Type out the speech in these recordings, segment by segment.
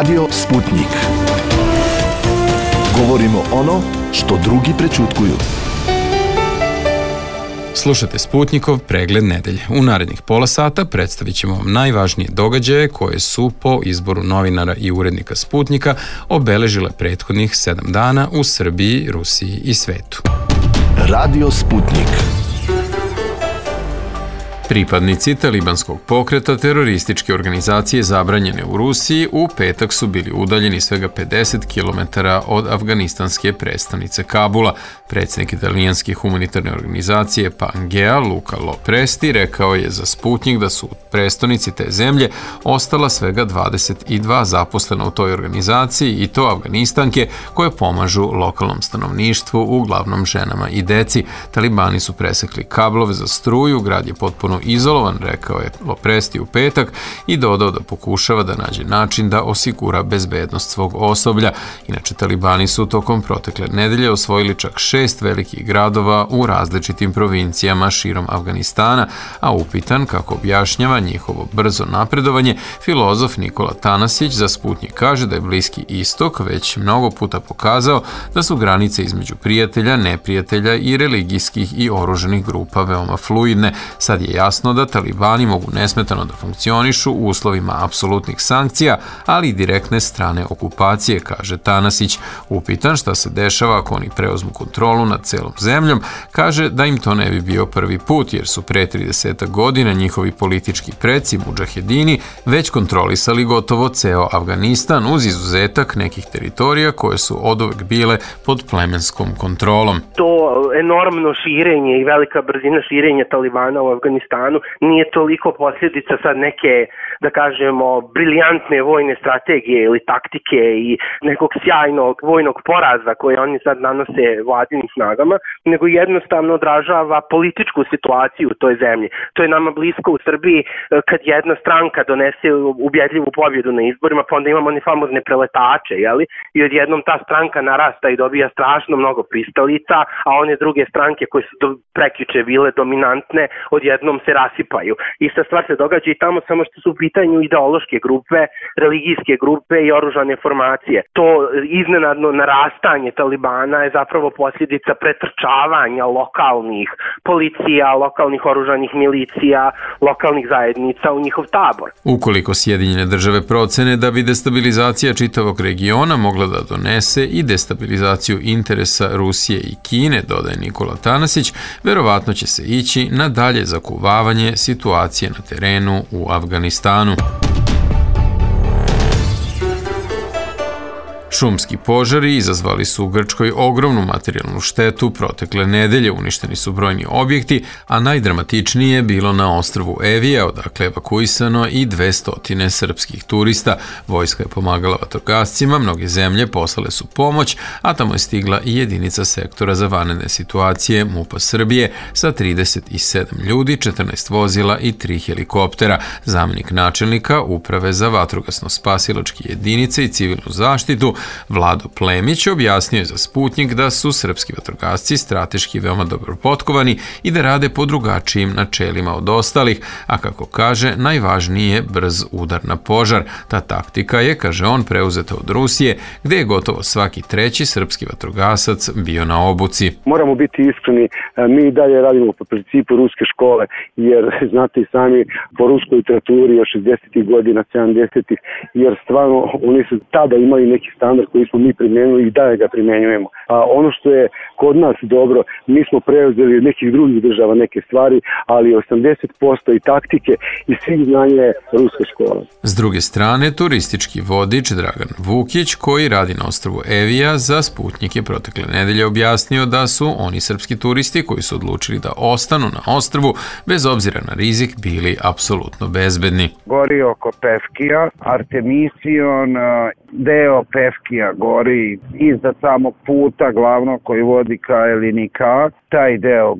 Radio Sputnik. Govorimo ono što drugi prećutkuju. Slušate Sputnikov pregled nedelje. U narednih pola sata predstavit ćemo vam najvažnije događaje koje su po izboru novinara i urednika Sputnika obeležile prethodnih 7 dana u Srbiji, Rusiji i svetu. Radio Sputnik. Pripadnici talibanskog pokreta terorističke organizacije zabranjene u Rusiji u petak su bili udaljeni svega 50 km od afganistanske prestonice Kabula. Predsjednik italijanske humanitarne organizacije Pangea Luca Lopresti rekao je za Sputnik da su u prestonici te zemlje ostala svega 22 zaposlena u toj organizaciji i to Afganistanke koje pomažu lokalnom stanovništvu, uglavnom ženama i deci. Talibani su presekli kablove za struju, grad je potpuno izolovan, rekao je Lopresti u petak i dodao da pokušava da nađe način da osigura bezbednost svog osoblja. Inače, talibani su tokom protekle nedelje osvojili čak 6 velikih gradova u različitim provincijama širom Afganistana, a upitan kako objašnjava njihovo brzo napredovanje, filozof Nikola Tanasić za Sputnik kaže da je Bliski istok već mnogo puta pokazao da su granice između prijatelja, neprijatelja i religijskih i oruženih grupa veoma fluidne. Sad je jasno da talibani mogu nesmetano da funkcionišu u uslovima apsolutnih sankcija, ali i direktne strane okupacije, kaže Tanasić. Upitan šta se dešava ako oni preuzmu kontrolu nad celom zemljom, kaže da im to ne bi bio prvi put, jer su pre 30 godina njihovi politički preci, mudžahedini, već kontrolisali gotovo ceo Afganistan, uz izuzetak nekih teritorija koje su oduvek bile pod plemenskom kontrolom. To enormno širenje i velika brzina širenja talibana u Afganistanu nije toliko posljedica sad neke, da kažemo, briljantne vojne strategije ili taktike i nekog sjajnog vojnog poraza koje oni sad nanose vladinim snagama, nego jednostavno odražava političku situaciju u toj zemlji. To je nama blisko u Srbiji kad jedna stranka donese ubjedljivu pobjedu na izborima, pa onda imamo one famozne preletače, jeli? I odjednom ta stranka narasta i dobija strašno mnogo pristalica, a one druge stranke koje su prekjuče bile dominantne, odjednom se rasipaju. Ista stvar se događa i tamo, samo što su u pitanju ideološke grupe, religijske grupe i oružane formacije. To iznenadno narastanje talibana je zapravo posljedica pretrčavanja lokalnih policija, lokalnih oružanih milicija, lokalnih zajednica u njihov tabor. Ukoliko Sjedinjene države procene da bi destabilizacija čitavog regiona mogla da donese i destabilizaciju interesa Rusije i Kine, dodaje Nikola Tanasić, verovatno će se ići na dalje zakuvavanje situacije na terenu u Afganistanu. Šumski požari izazvali su u Grčkoj ogromnu materijalnu štetu protekle nedelje, uništeni su brojni objekti, a najdramatičnije je bilo na ostrvu Evija, odakle je evakuisano i 200 srpskih turista. Vojska je pomagala vatrogascima, mnoge zemlje poslale su pomoć, a tamo je stigla i jedinica sektora za vanredne situacije MUP-a Srbije sa 37 ljudi, 14 vozila i 3 helikoptera. Zamjenik načelnika Uprave za vatrogasno-spasilačke jedinice i civilnu zaštitu Vlado Plemić objasnio je za Sputnik da su srpski vatrogasci strateški veoma dobro potkovani i da rade po drugačijim načelima od ostalih, a kako kaže, najvažniji je brz udar na požar. Ta taktika je, kaže on, preuzeta od Rusije, gde je gotovo svaki treći srpski vatrogasac bio na obuci. Moramo biti iskreni, mi dalje radimo po principu ruske škole, jer znate i sami po ruskoj literaturi od 60. godina, 70. jer stvarno oni su tada imali neki standard koji smo mi primjenili i dalje ga primjenjujemo. A ono što je kod nas dobro, mi smo preuzeli od nekih drugih država neke stvari, ali 80% i taktike i svih znanja je ruska škola. S druge strane, turistički vodič Dragan Vukić, koji radi na ostrvu Evija, za Sputnik je protekle nedelje objasnio da su oni srpski turisti koji su odlučili da ostanu na ostrvu bez obzira na rizik bili apsolutno bezbedni. Gori oko Pevkija, Artemision, deo Pevkija Baškija gori iznad samog puta glavnog koji vodi ka Elinika. Taj deo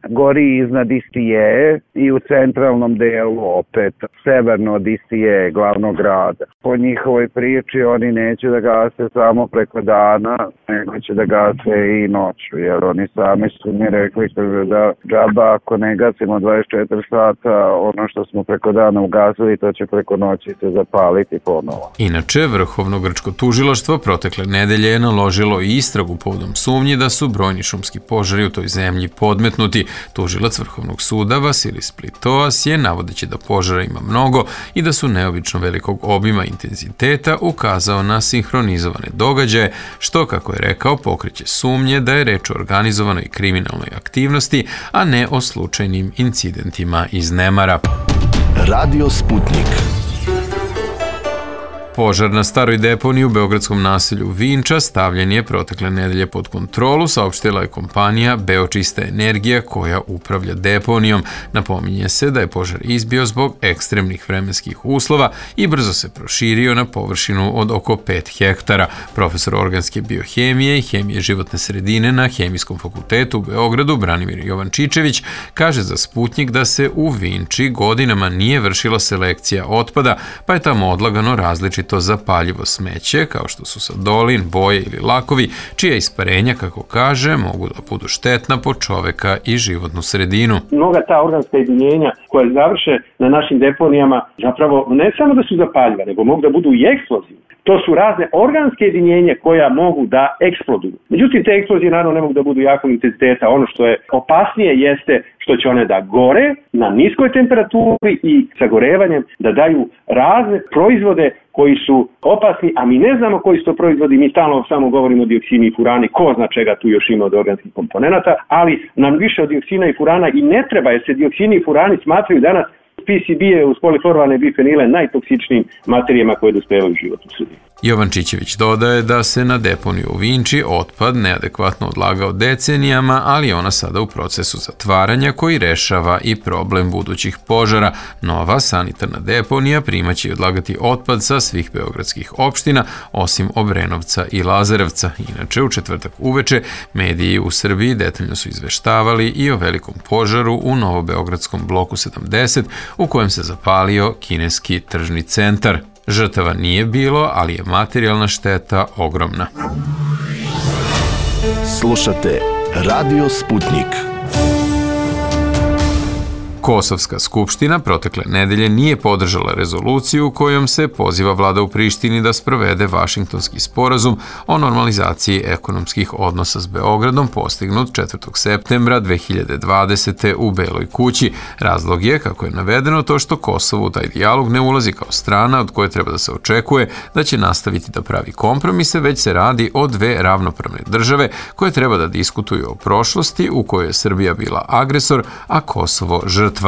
gori iznad Istijeje i u centralnom delu opet severno od Istijeje, glavnog grada. Po njihovoj priči oni neće da gase samo preko dana, nego će da gase i noću, jer oni sami su mi rekli da džaba ako ne gasimo 24 sata, ono što smo preko dana ugasili, to će preko noći se zapaliti ponovo. Inače, Vrhovno grčko tužilaštvo protekle nedelje je naložilo i istragu povodom sumnji da su brojni šumski požari u toj zemlji podmetnuti. Tužilac Vrhovnog suda Vasilis Plitoas je, navodeći da požara ima mnogo i da su neobično velikog obima intenziteta, ukazao na sinhronizovane događaje, što, kako je rekao, pokreće sumnje da je reč o organizovanoj kriminalnoj aktivnosti, a ne o slučajnim incidentima iz nemara. Radio Sputnik. Požar na staroj deponiji u beogradskom naselju Vinča stavljen je protekle nedelje pod kontrolu, saopštila je kompanija Beočista energija koja upravlja deponijom. Napominje se da je požar izbio zbog ekstremnih vremenskih uslova i brzo se proširio na površinu od oko 5 hektara. Profesor organske biohemije i hemije životne sredine na Hemijskom fakultetu u Beogradu Branimir Jovančičević kaže za Sputnik da se u Vinči godinama nije vršila selekcija otpada, pa je tamo odlagano različito zapaljivo smeće, kao što su sadolin, boje ili lakovi, čija isparenja, kako kaže, mogu da budu štetna po čoveka i životnu sredinu. Mnoga ta organska jedinjenja koja završe na našim deponijama zapravo ne samo da su zapaljiva, nego mogu da budu i eksplozivne. To su razne organske jedinjenja koja mogu da eksploduju. Međutim, te eksplozije naravno ne mogu da budu jakog intenziteta. Ono što je opasnije jeste što će one da gore na niskoj temperaturi i sagorevanjem da daju razne proizvode koji su opasni, a mi ne znamo koji su to proizvodi, mi stalno samo govorimo o dioksini i furani, ko zna čega tu još ima od organskih komponenata, ali nam više od dioksina i furana i ne treba, jer se dioksini i furani smatraju danas PCB-e uz polifluoroalne bifenile najtoksičnijim materijama koje dospevaju u životu sredini. Jovančićević dodaje da se na deponiju u Vinči otpad neadekvatno odlagao decenijama, ali je ona sada u procesu zatvaranja koji rešava i problem budućih požara. Nova sanitarna deponija primaće i odlagati otpad sa svih beogradskih opština, osim Obrenovca i Lazarevca. Inače, u četvrtak uveče mediji u Srbiji detaljno su izveštavali i o velikom požaru u novobeogradskom bloku 70, u kojem se zapalio kineski tržni centar. Žrtava nije bilo, ali je materijalna šteta ogromna. Slušate Radio Sputnik. Kosovska skupština protekle nedelje nije podržala rezoluciju kojom se poziva vlada u Prištini da sprovede Vašingtonski sporazum o normalizaciji ekonomskih odnosa s Beogradom postignut 4. septembra 2020. u Beloj kući. Razlog je, kako je navedeno, to što Kosovo u taj dijalog ne ulazi kao strana od koje treba da se očekuje da će nastaviti da pravi kompromise, već se radi o dve ravnopravne države koje treba da diskutuju o prošlosti u kojoj je Srbija bila agresor, a Kosovo žrtva.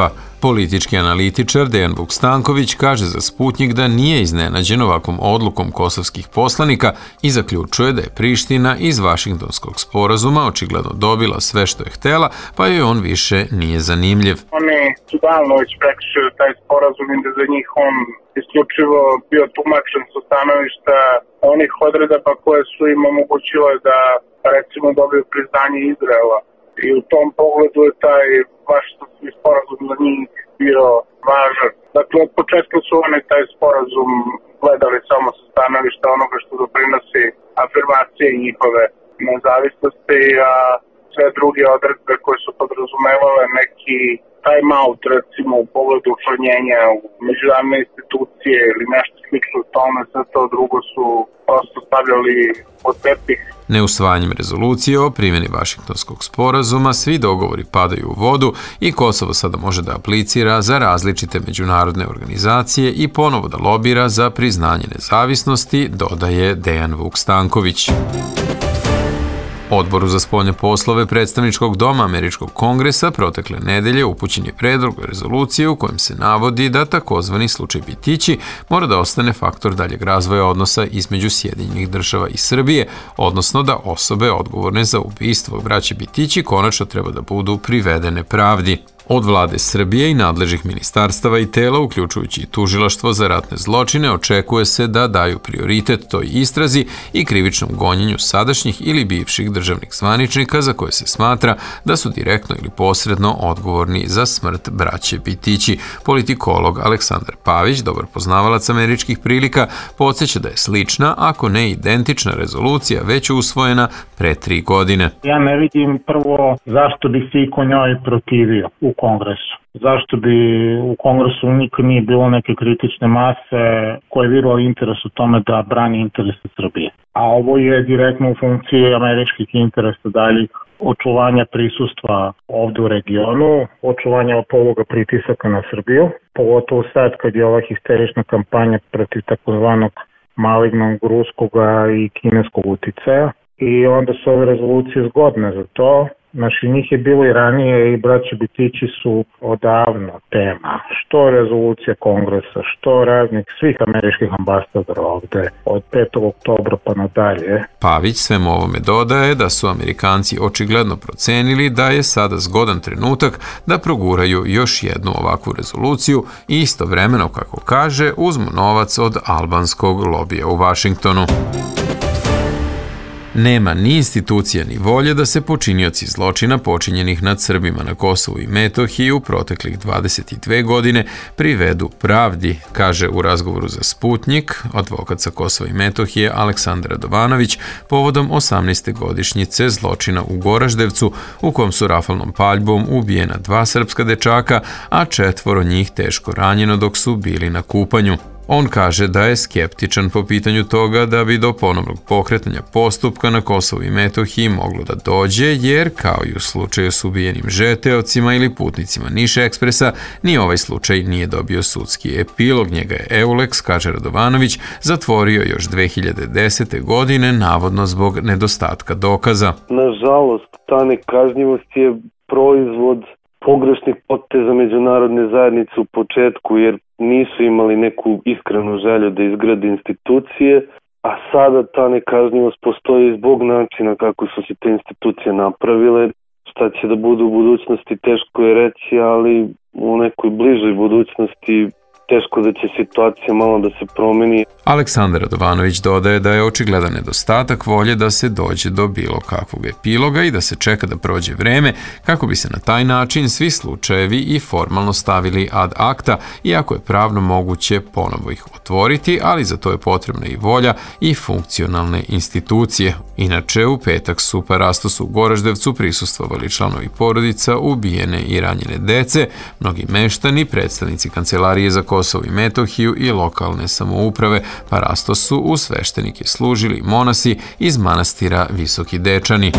Politički analitičar Dejan Vukstanković kaže za Sputnik da nije iznenađen ovakvom odlukom kosovskih poslanika i zaključuje da je Priština iz Vašingtonskog sporazuma očigledno dobila sve što je htela, pa joj on više nije zanimljiv. Oni su davno već prekršili taj sporazum i da za njih on isključivo bio tumačen sa stanovišta onih odredaba koje su im omogućile da recimo dobiju priznanje Izraela. I u tom pogledu je taj Vašingtonski sporazum za njih bio važan. Dakle, od početka su oni taj sporazum gledali samo sa stanovišta onoga što doprinosi afirmacije njihove nezavisnosti, a sve druge odredbe koje su podrazumevale neki time out, recimo u pogledu učlanjenja u međunarodne institucije ili nešto slično tome, sve to drugo su prosto stavljali pod tepih. Neusvajanjem rezolucije o primjeni Vašingtonskog sporazuma svi dogovori padaju u vodu i Kosovo sada može da aplicira za različite međunarodne organizacije i ponovo da lobira za priznanje nezavisnosti, dodaje Dejan Vukstanković. Odboru za spoljne poslove predstavničkog doma Američkog kongresa protekle nedelje upućen je predlog rezolucije u kojem se navodi da takozvani slučaj Bitići mora da ostane faktor daljeg razvoja odnosa između Sjedinjenih država i Srbije, odnosno da osobe odgovorne za ubistvo braće Bitići konačno treba da budu privedene pravdi. Od vlade Srbije i nadležnih ministarstava i tela, uključujući i tužilaštvo za ratne zločine, očekuje se da daju prioritet toj istrazi i krivičnom gonjenju sadašnjih ili bivših državnih zvaničnika za koje se smatra da su direktno ili posredno odgovorni za smrt braće Bitići. Politikolog Aleksandar Pavić, dobar poznavalac američkih prilika, podsjeća da je slična, ako ne identična rezolucija već usvojena pre 3 godine. Ja ne vidim prvo zašto bi se iko njoj protivio u Kongresu. Zašto bi u Kongresu nikad nije bilo neke kritične mase koje je viralo interes u tome da brani interese Srbije. A ovo je direktno u funkciji američkih interesa daljih očuvanja prisustva ovde u regionu, očuvanja ovoga pritisaka na Srbiju, pogotovo sad kad je ova histerična kampanja protiv takozvanog malignog ruskog i kineskog uticaja. I onda su ove rezolucije zgodne za to. Znači, njih je bilo i ranije i braće Bitići su odavno tema. Što rezolucija Kongresa, što raznih svih američkih ambasadora ovde od 5. oktobra pa nadalje. Pavić svemu ovome dodaje da su Amerikanci očigledno procenili da je sada zgodan trenutak da proguraju još jednu ovakvu rezoluciju i istovremeno, kako kaže, uzmu novac od albanskog lobija u Vašingtonu. Nema ni institucija ni volje da se počinioci zločina počinjenih nad Srbima na Kosovu i Metohiji u proteklih 22 godine privedu pravdi, kaže u razgovoru za Sputnjik advokat sa Kosova i Metohije Aleksandar Radovanović povodom 18. godišnjice zločina u Goraždevcu u kom su rafalnom paljbom ubijena 2 srpska dečaka, a 4 njih teško ranjeno dok su bili na kupanju. On kaže da je skeptičan po pitanju toga da bi do ponovnog pokretanja postupka na Kosovu i Metohiji moglo da dođe, jer kao i u slučaju s ubijenim žeteocima ili putnicima Niš Ekspresa, ni ovaj slučaj nije dobio sudski epilog. Njega je Eulex, kaže Radovanović, zatvorio još 2010. godine, navodno zbog nedostatka dokaza. Nažalost, ta nekažnjivost je proizvod pogrešnih poteza međunarodne zajednice u početku, jer nisu imali neku iskrenu želju da izgrade institucije, a sada ta nekažnjivost postoji zbog načina kako su se te institucije napravile. Šta će da bude u budućnosti teško je reći, ali u nekoj bližoj budućnosti teško da će situacija malo da se promeni. Aleksandar Radovanović dodaje da je očigledan nedostatak volje da se dođe do bilo kakvog epiloga i da se čeka da prođe vreme kako bi se na taj način svi slučajevi i formalno stavili ad acta, iako je pravno moguće ponovo ih otvoriti, ali za to je potrebna i volja i funkcionalne institucije. Inače, u petak su parastosu u Goraždevcu prisustvovali članovi porodica ubijene i ranjene dece, mnogi meštani, predstavnici Kancelarije za Kosovo i Metohiju i lokalne samouprave. Parastosu u sveštenike služili monasi iz manastira Visoki Dečani.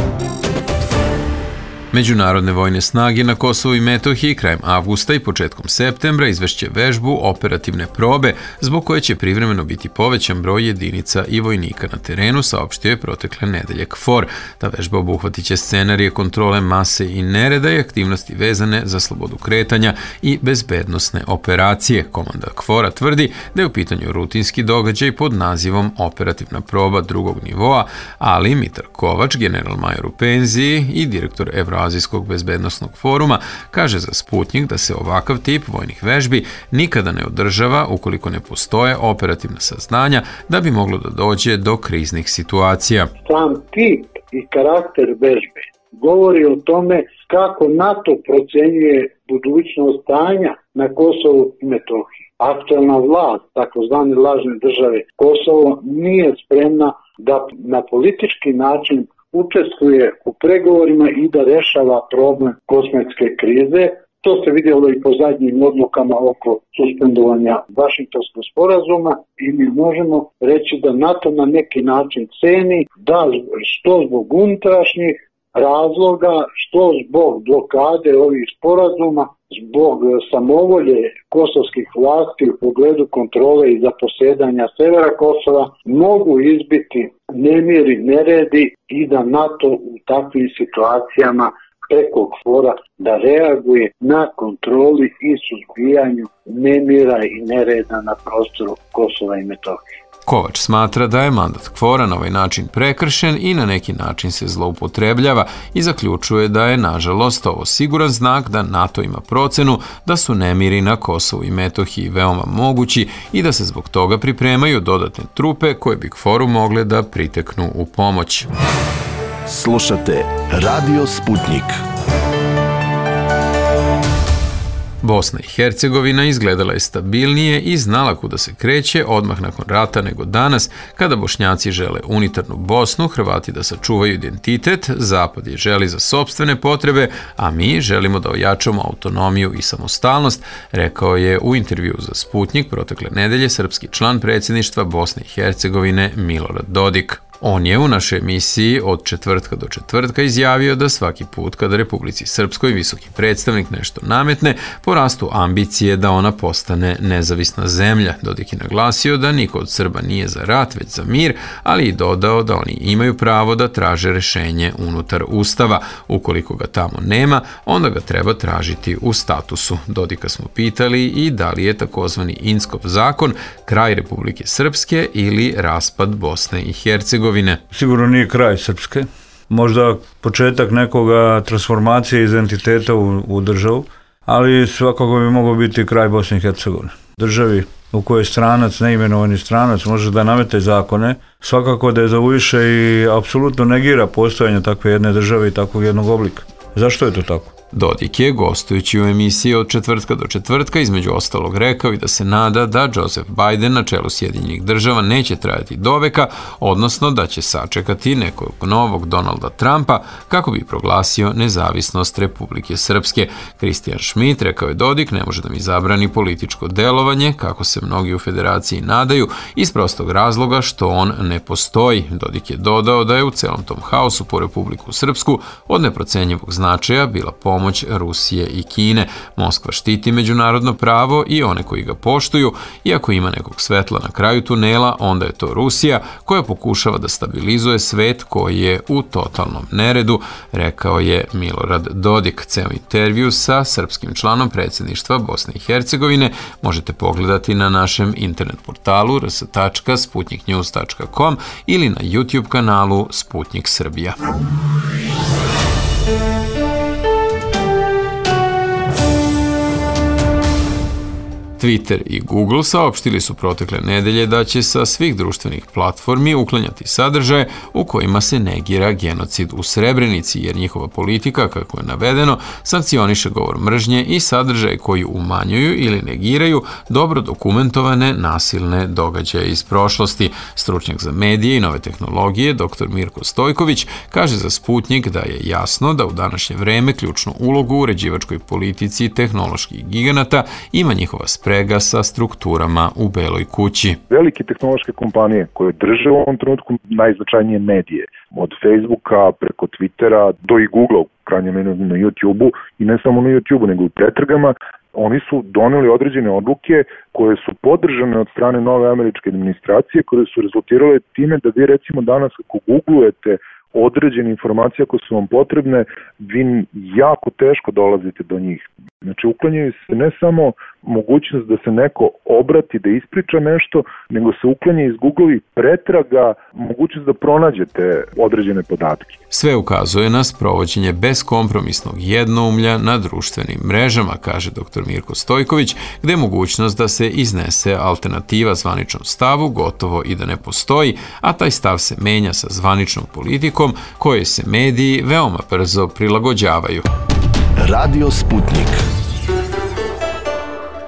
Međunarodne vojne snage na Kosovu i Metohiji krajem avgusta i početkom septembra izvešće vežbu operativne probe, zbog koje će privremeno biti povećan broj jedinica i vojnika na terenu, saopštio je protekle nedelje KFOR. Ta vežba obuhvatit će scenarije kontrole mase i nereda i aktivnosti vezane za slobodu kretanja i bezbednosne operacije. Komanda KFOR-a tvrdi da je u pitanju rutinski događaj pod nazivom operativna proba drugog nivoa, ali Mitar Kovač, general major u penziji i direktor Evroazijskog bezbednosnog foruma, kaže za Sputnjik da se ovakav tip vojnih vežbi nikada ne održava ukoliko ne postoje operativna saznanja da bi moglo da dođe do kriznih situacija. Sam tip i karakter vežbe govori o tome kako NATO procenjuje budućnost stanja na Kosovu i Metohiji. Aktualna vlast, takozvane lažne države Kosovo, nije spremna da na politički način učestvuje u pregovorima i da rešava problem kosmetske krize. To se vidjelo i po zadnjim odlukama oko suspendovanja Vašingtonskog sporazuma i mi možemo reći da NATO na neki način ceni da što zbog unutrašnjih razloga, što zbog blokade ovih sporazuma, zbog samovolje kosovskih vlasti u pogledu kontrole i zaposedanja severa Kosova, mogu izbiti nemiri, neredi i da NATO u takvim situacijama preko KFOR-a da reaguje na kontroli i suzbijanju nemira i nereda na prostoru Kosova i Metohije. Kovač smatra da je mandat KFOR-a na ovaj način prekršen i na neki način se zloupotrebljava i zaključuje da je, nažalost, ovo siguran znak da NATO ima procenu da su nemiri na Kosovu i Metohiji veoma mogući i da se zbog toga pripremaju dodatne trupe koje bi KFOR-u mogle da priteknu u pomoć. Slušate Radio Sputnik. Bosna i Hercegovina izgledala je stabilnije i znala kuda se kreće odmah nakon rata nego danas, kada Bošnjaci žele unitarnu Bosnu, Hrvati da sačuvaju identitet, Zapad je želi za sopstvene potrebe, a mi želimo da ojačamo autonomiju i samostalnost, rekao je u intervjuu za Sputnik protekle nedelje srpski član predsjedništva Bosne i Hercegovine Milorad Dodik. On je u našoj emisiji od četvrtka do četvrtka izjavio da svaki put kada Republici Srpskoj visoki predstavnik nešto nametne, porastu ambicije da ona postane nezavisna zemlja. Dodik je naglasio da niko od Srba nije za rat, već za mir, ali i dodao da oni imaju pravo da traže rešenje unutar Ustava. Ukoliko ga tamo nema, onda ga treba tražiti u statusu. Dodika smo pitali i da li je takozvani Inckov zakon kraj Republike Srpske ili raspad Bosne i Hercegovine. Sigurno nije kraj Srpske, možda početak nekoga transformacije identiteta u državu, ali svakako bi mogao biti kraj Bosne i Hercegovine. Državi u kojoj stranac, neimenovani stranac, može da namete zakone, svakako da je zavuiše i apsolutno negira postojanje takve jedne države i takvog jednog oblika. Zašto je to tako? Dodik je, gostujući u emisiji od četvrtka do četvrtka, između ostalog rekao i da se nada da Joseph Biden na čelu Sjedinjenih država neće trajati doveka, odnosno da će sačekati nekog novog Donalda Trumpa kako bi proglasio nezavisnost Republike Srpske. Kristijan Schmidt, rekao je Dodik, ne može da mi zabrani političko delovanje, kako se mnogi u federaciji nadaju, iz prostog razloga što on ne postoji. Dodik je dodao da je u celom tom haosu po Republiku Srpsku od neprocenjivog značaja bila pomoć Rusije i Kine. Moskva štiti međunarodno pravo i one koji ga poštuju, i ako ima nekog svetla na kraju tunela, onda je to Rusija koja pokušava da stabilizuje svet koji je u totalnom neredu, rekao je Milorad Dodik. Ceo intervju sa srpskim članom predsjedništva Bosne i Hercegovine možete pogledati na našem internet portalu rs.sputniknews.com ili na YouTube kanalu Sputnik Srbija. Twitter i Google saopštili su protekle nedelje da će sa svih društvenih platformi uklanjati sadržaje u kojima se negira genocid u Srebrenici, jer njihova politika, kako je navedeno, sankcioniše govor mržnje i sadržaje koji umanjuju ili negiraju dobro dokumentovane nasilne događaje iz prošlosti. Stručnjak za medije i nove tehnologije, dr. Mirko Stojković, kaže za Sputnik da je jasno da u današnje vreme ključnu ulogu u uređivačkoj politici tehnoloških giganata ima njihova sprega sa strukturama u Beloj kući. Velike tehnološke kompanije koje drže u ovom trenutku najznačajnije medije, od Facebooka preko Twittera do i Googlea, u krajnjem na YouTube-u, i ne samo na YouTube-u, nego u pretragama, oni su doneli određene odluke koje su podržane od strane nove američke administracije, koje su rezultirale time da vi recimo danas ako googlujete određene informacije ako su vam potrebne, vi jako teško dolazite do njih. Znači, uklanjaju se ne samo mogućnost da se neko obrati, da ispriča nešto, nego se uklanja iz Google i pretraga mogućnost da pronađete određene podatke. Sve ukazuje na sprovođenje beskompromisnog jednoumlja na društvenim mrežama, kaže dr. Mirko Stojković, gde je mogućnost da se iznese alternativa zvaničnom stavu gotovo i da ne postoji, a taj stav se menja sa zvaničnom politikom koje se mediji veoma brzo prilagođavaju. Radio Sputnik.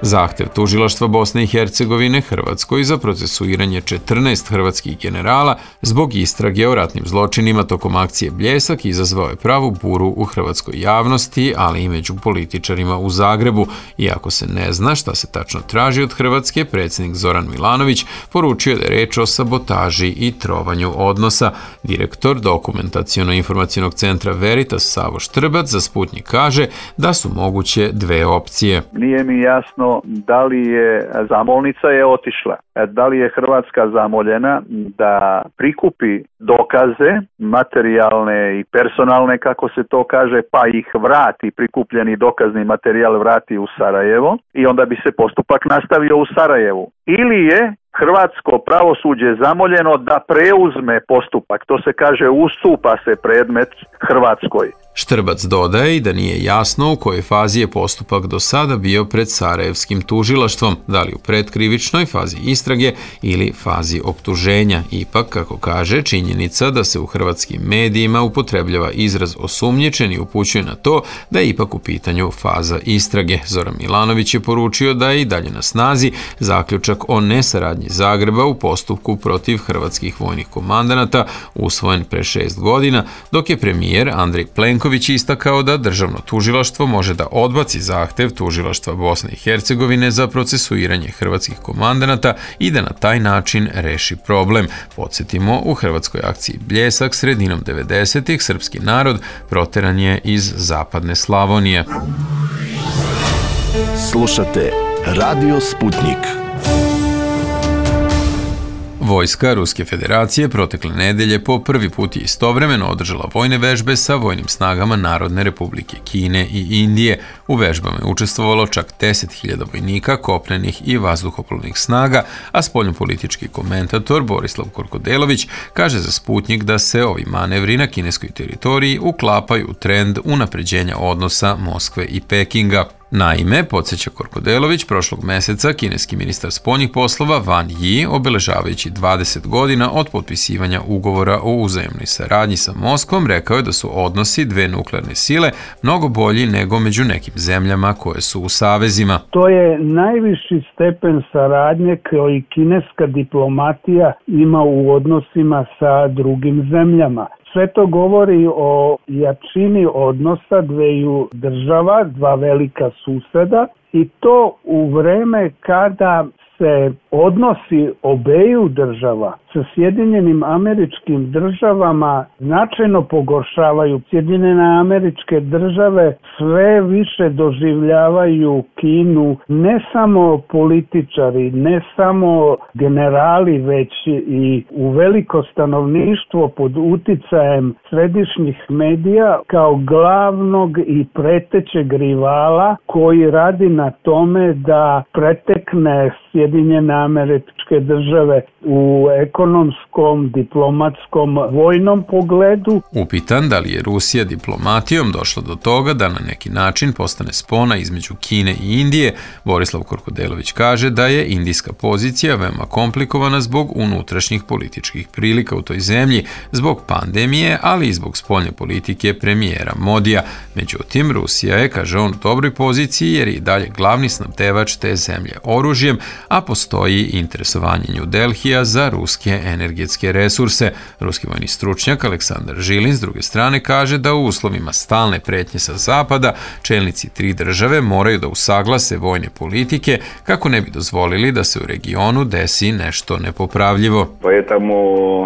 Zahtev tužilaštva Bosne i Hercegovine Hrvatskoj za procesuiranje 14 hrvatskih generala zbog istrage o ratnim zločinima tokom akcije Bljesak izazvao je pravu buru u hrvatskoj javnosti, ali i među političarima u Zagrebu. Iako se ne zna šta se tačno traži od Hrvatske, predsjednik Zoran Milanović poručio da je reč o sabotaži i trovanju odnosa. Direktor Dokumentaciono-informacionog centra Veritas Savo Štrbac za Sputnik kaže da su moguće dve opcije. Nije mi jasno da li je zamolnica je otišla, da li je Hrvatska zamoljena da prikupi dokaze, materijalne i personalne, kako se to kaže, pa ih vrati, prikupljeni dokazni materijal vrati u Sarajevo i onda bi se postupak nastavio u Sarajevu. Ili je hrvatsko pravosuđe je zamoljeno da preuzme postupak, to se kaže ustupa se predmet Hrvatskoj. Štrbac dodaje i da nije jasno u kojoj fazi je postupak do sada bio pred Sarajevskim tužilaštvom, da li u predkrivičnoj fazi istrage ili fazi optuženja. Ipak, kako kaže, činjenica da se u hrvatskim medijima upotrebljava izraz osumnjičeni upućuje na to da je ipak u pitanju faza istrage. Zoran Milanović je poručio da je i dalje na snazi zaključak o nesaradnji Zagreba u postupku protiv hrvatskih vojnih komandanata usvojen pre 6 godina, dok je premijer Andrej Plenković istakao da državno tužilaštvo može da odbaci zahtev tužilaštva Bosne i Hercegovine za procesuiranje hrvatskih komandanata i da na taj način reši problem. Podsjetimo, u hrvatskoj akciji Bljesak sredinom 90-ih srpski narod proteran je iz zapadne Slavonije. Slušate Radio Sputnik. Vojska Ruske federacije protekle nedelje po prvi put je istovremeno održala vojne vežbe sa vojnim snagama Narodne republike Kine i Indije. U vežbama je učestvovalo čak 10.000 vojnika kopnenih i vazduhoplovnih snaga, a spoljnopolitički komentator Borislav Korkodelović kaže za Sputnik da se ovi manevri na kineskoj teritoriji uklapaju u trend unapređenja odnosa Moskve i Pekinga. Naime, podsjeća Korkodelović, prošlog meseca kineski ministar spoljnih poslova Wang Yi, obeležavajući 20 godina od potpisivanja ugovora o uzajamnoj saradnji sa Moskvom, rekao je da su odnosi dve nuklearne sile mnogo bolji nego među nekim zemljama koje su u savezima. To je najviši stepen saradnje koji kineska diplomatija ima u odnosima sa drugim zemljama. Sve to govori o jačini odnosa dveju država, dva velika suseda, i to u vreme kada se odnosi obeju država sa Sjedinjenim Američkim Državama značajno pogoršavaju. Sjedinjene Američke Države sve više doživljavaju Kinu ne samo političari, ne samo generali, već i u veliko stanovništvo pod uticajem središnjih medija kao glavnog i pretećeg rivala koji radi na tome da pretekne Sjedinjene Američke Države u ekonomskom, diplomatskom, vojnom pogledu. Upitan da li je Rusija diplomatijom došla do toga da na neki način postane spona između Kine i Indije, Borislav Korkodelović kaže da je indijska pozicija veoma komplikovana zbog unutrašnjih političkih prilika u toj zemlji, zbog pandemije, ali i zbog spoljne politike premijera Modija. Međutim, Rusija je, kaže on, u dobroj poziciji jer je i dalje glavni snabdevač te zemlje oružjem, a postoji interesovanje New Delhija za ruske energetske resurse. Ruski vojni stručnjak Aleksandar Žilin s druge strane kaže da u uslovima stalne pretnje sa zapada čelnici tri države moraju da usaglase vojne politike kako ne bi dozvolili da se u regionu desi nešto nepopravljivo.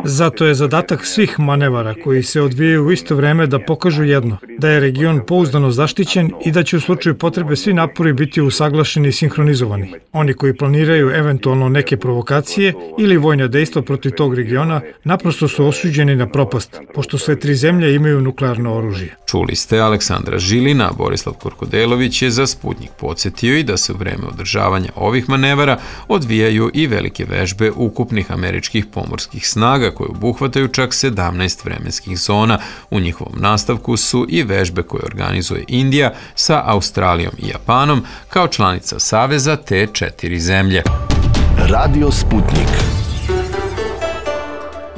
Zato je zadatak svih manevara koji se odvijaju u isto vreme da pokažu jedno, da je region pouzdano zaštićen i da će u slučaju potrebe svi napori biti usaglašeni i sinhronizovani. Oni koji planiraju eventualno neke provokacije ili vojne dejstva protiv tog regiona naprosto su osuđeni na propast, pošto sve tri zemlje imaju nuklearno oružje. Čuli ste Aleksandra Žilina, Borislav Korkodelović je za Sputnik podsjetio i da se u vreme održavanja ovih manevara odvijaju i velike vežbe ukupnih američkih pomorskih snaga koje obuhvataju čak 17 vremenskih zona. U njihovom nastavku su i vežbe koje organizuje Indija sa Australijom i Japanom kao članica saveza te 4 zemlje. Radio Sputnik.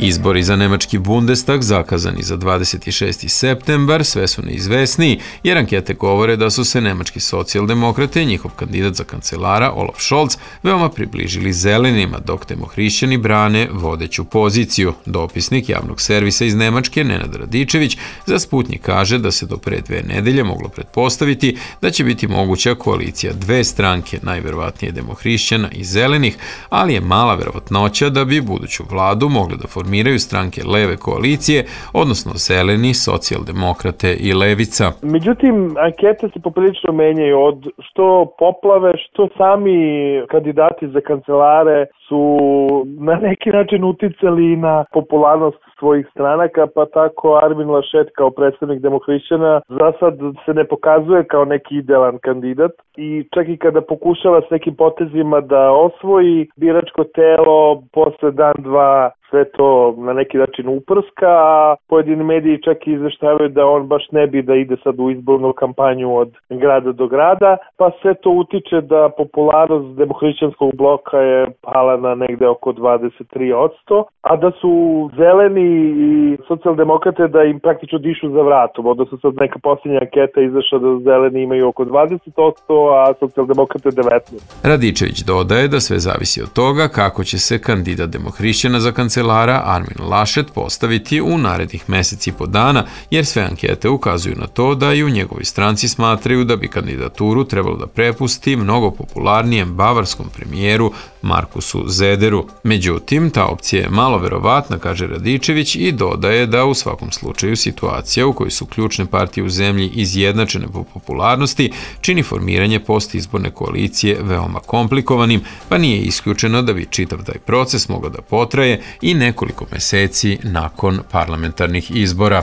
Izbori za nemački Bundestag zakazani za 26. septembar sve su neizvesniji, jer ankete govore da su se nemački socijaldemokrate i njihov kandidat za kancelara Olaf Scholz veoma približili zelenima, dok demohrišćani brane vodeću poziciju. Dopisnik javnog servisa iz Nemačke, Nenad Radičević, za Sputnik kaže da se do pre 2 nedelje moglo pretpostaviti da će biti moguća koalicija dve stranke, najverovatnije demohrišćana i zelenih, ali je mala verovatnoća da bi buduću vladu mogli da formiraju formiraju stranke leve koalicije, odnosno zeleni, socijaldemokrate i levica. Međutim, ankete se poprilično menjaju od što poplave, što sami kandidati za kancelare su na neki način uticali na popularnost svojih stranaka, pa tako Armin Laschet kao predstavnik Demohrišćana za sad se ne pokazuje kao neki idealan kandidat i čak i kada pokušava s nekim potezima da osvoji biračko telo, posle dan, dva sve to na neki način uprska, a pojedini mediji čak i izveštavaju da on baš ne bi da ide sad u izbornu kampanju od grada do grada, pa sve to utiče da popularnost demohrišćanskog bloka je pala na negde oko 23%, a da su zeleni i socijaldemokrate da im praktično dišu za vratom, odnosno sad neka posljednja anketa izašla da zeleni imaju oko 20%, a socijaldemokrate 19%. Radičević dodaje da sve zavisi od toga kako će se kandidat Demohrišćana za kancelara Armin Laschet postaviti u narednih meseci i po dana, jer sve ankete ukazuju na to da i u njegovoj stranci smatraju da bi kandidaturu trebalo da prepusti mnogo popularnijem bavarskom premijeru Markusu Zederu. Međutim, ta opcija je malo verovatna, kaže Radičević, i dodaje da u svakom slučaju situacija u kojoj su ključne partije u zemlji izjednačene po popularnosti čini formiranje postizborne koalicije veoma komplikovanim, pa nije isključeno da bi čitav taj proces mogao da potraje i nekoliko meseci nakon parlamentarnih izbora.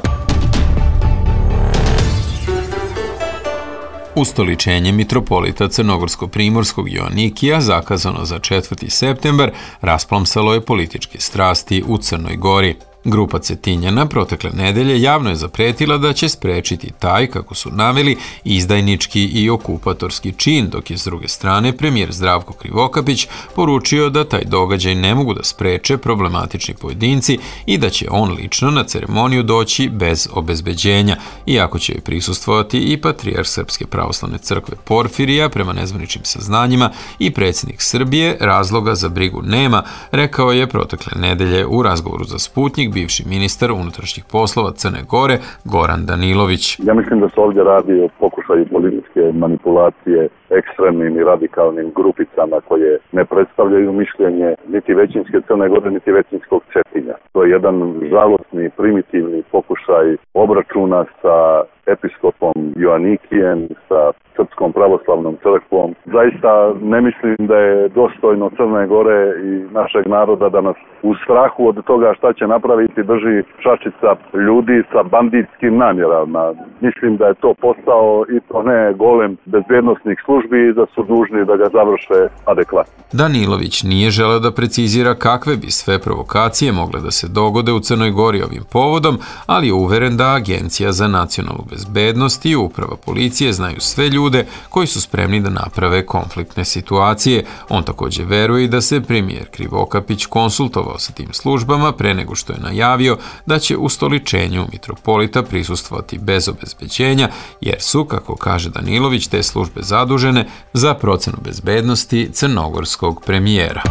Ustoličenje mitropolita Crnogorsko-primorskog Joanikija, zakazano za 4. septembar, rasplamsalo je političke strasti u Crnoj Gori. Grupa Cetinjana protekle nedelje javno je zapretila da će sprečiti taj, kako su naveli, izdajnički i okupatorski čin, dok je s druge strane premijer Zdravko Krivokapić poručio da taj događaj ne mogu da spreče problematični pojedinci i da će on lično na ceremoniju doći bez obezbeđenja, iako će joj prisustvovati i patrijarh Srpske pravoslavne crkve Porfirija, prema nezvaničnim saznanjima, i predsjednik Srbije. Razloga za brigu nema, rekao je protekle nedelje u razgovoru za Sputnik bivši ministar unutrašnjih poslova Crne Gore Goran Danilović. Ja mislim da se ovdje radi o pokušaju političke manipulacije ekstremnim i radikalnim grupicama koje ne predstavljaju mišljenje niti većinske Crne Gore, niti većinskog Cetinja. To je jedan žalosni, primitivni pokušaj obračuna sa episkopom Joanikijem, sa Srpskom pravoslavnom crkvom. Zaista ne mislim da je dostojno Crne Gore i našeg naroda da nas u strahu od toga šta će napraviti drži šačica ljudi sa banditskim namjerama. Mislim da je to posao i to ne golem bezbjednosnih službi i da su dužni da ga završe adekvatno. Danilović nije želeo da precizira kakve bi sve provokacije mogle da se dogode u Crnoj Gori ovim povodom, ali je uveren da Agencija za nacionalnu bezbednost i uprava policije znaju sve ljude koji su spremni da naprave konfliktne situacije. On također veruje da se premijer Krivokapić konsultovao sa tim službama pre nego što je najavio da će ustoličenju mitropolita prisustvovati bez obezbeđenja, jer su, kako kaže Danilović, te službe zadužene za procenu bezbednosti crnogorskog premijera.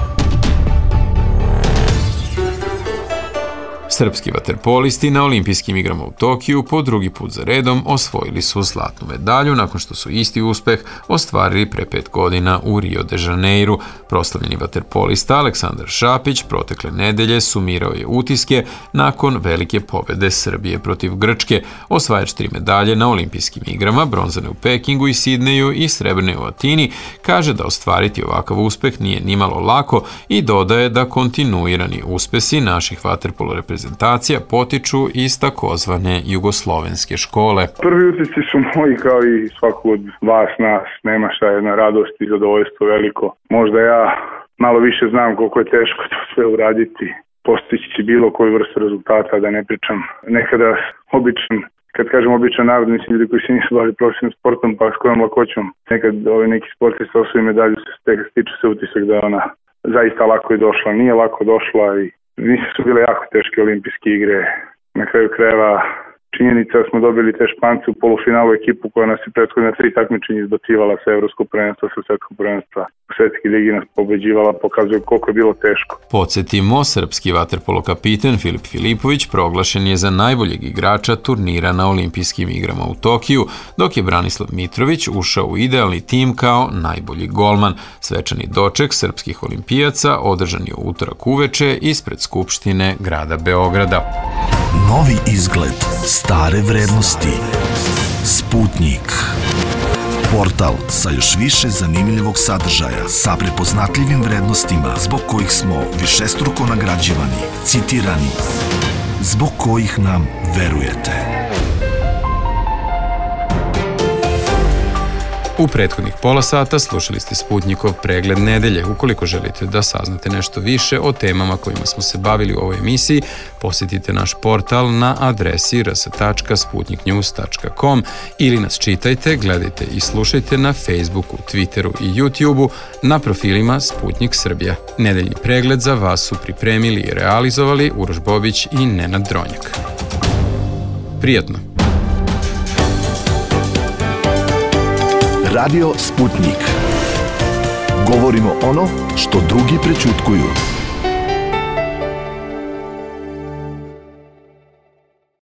Srpski vaterpolisti na olimpijskim igrama u Tokiju po drugi put za redom osvojili su zlatnu medalju nakon što su isti uspeh ostvarili pre 5 godina u Rio de Janeiru. Proslavljeni vaterpolista Aleksandar Šapić protekle nedelje sumirao je utiske nakon velike pobede Srbije protiv Grčke. Osvajač 3 medalje na olimpijskim igrama, bronzane u Pekingu i Sidneju i srebrne u Atini, kaže da ostvariti ovakav uspeh nije nimalo lako i dodaje da kontinuirani uspesi naših vaterpolo reprezentacija potiču iz takozvane jugoslovenske škole. Prvi utisci su moji kao i svakog od vas, nas. Nema šta, jedna radost i zadovoljstvo veliko. Možda ja malo više znam koliko je teško to sve uraditi, postići bilo koju vrstu rezultata, da ne pričam nekada običan. Kad kažem običan narod, mislim ljudi koji se nisu bavili profesionalnim sportom, pa s kojom lakoćom nekad neki sportista osvoji medalju, stiče se utisak da ona zaista lako je došla. Nije lako došla i nisu su bile jako teške olimpijske igre. Na kraju krajeva Činjenica smo dobili te Špance u polufinalu, ekipu koja nas je prethodne 3 takmičenja izbacivala sa evropskog prvenstva, sa svetskog prvenstva, u svetskoj ligi nas pobeđivala, pokazuje koliko je bilo teško. Podsjetimo, srpski vaterpolo kapiten Filip Filipović proglašen je za najboljeg igrača turnira na olimpijskim igrama u Tokiju, dok je Branislav Mitrović ušao u idealni tim kao najbolji golman. Svečani doček srpskih olimpijaca održan je u utorak uveče ispred Skupštine grada Beograda. Novi izgled, stare vrednosti. Sputnik. Portal sa još više zanimljivog sadržaja, sa prepoznatljivim vrednostima zbog kojih smo višestruko nagrađivani, citirani, zbog kojih nam verujete. U prethodnih pola sata slušali ste Sputnikov pregled nedelje. Ukoliko želite da saznate nešto više o temama kojima smo se bavili u ovoj emisiji, posjetite naš portal na adresi rs.sputniknews.com ili nas čitajte, gledajte i slušajte na Facebooku, Twitteru i YouTubeu na profilima Sputnik Srbija. Nedeljni pregled za vas su pripremili i realizovali Uroš Bobić i Nenad Dronjak. Prijatno! Radio Sputnik. Govorimo ono što drugi prećutkuju.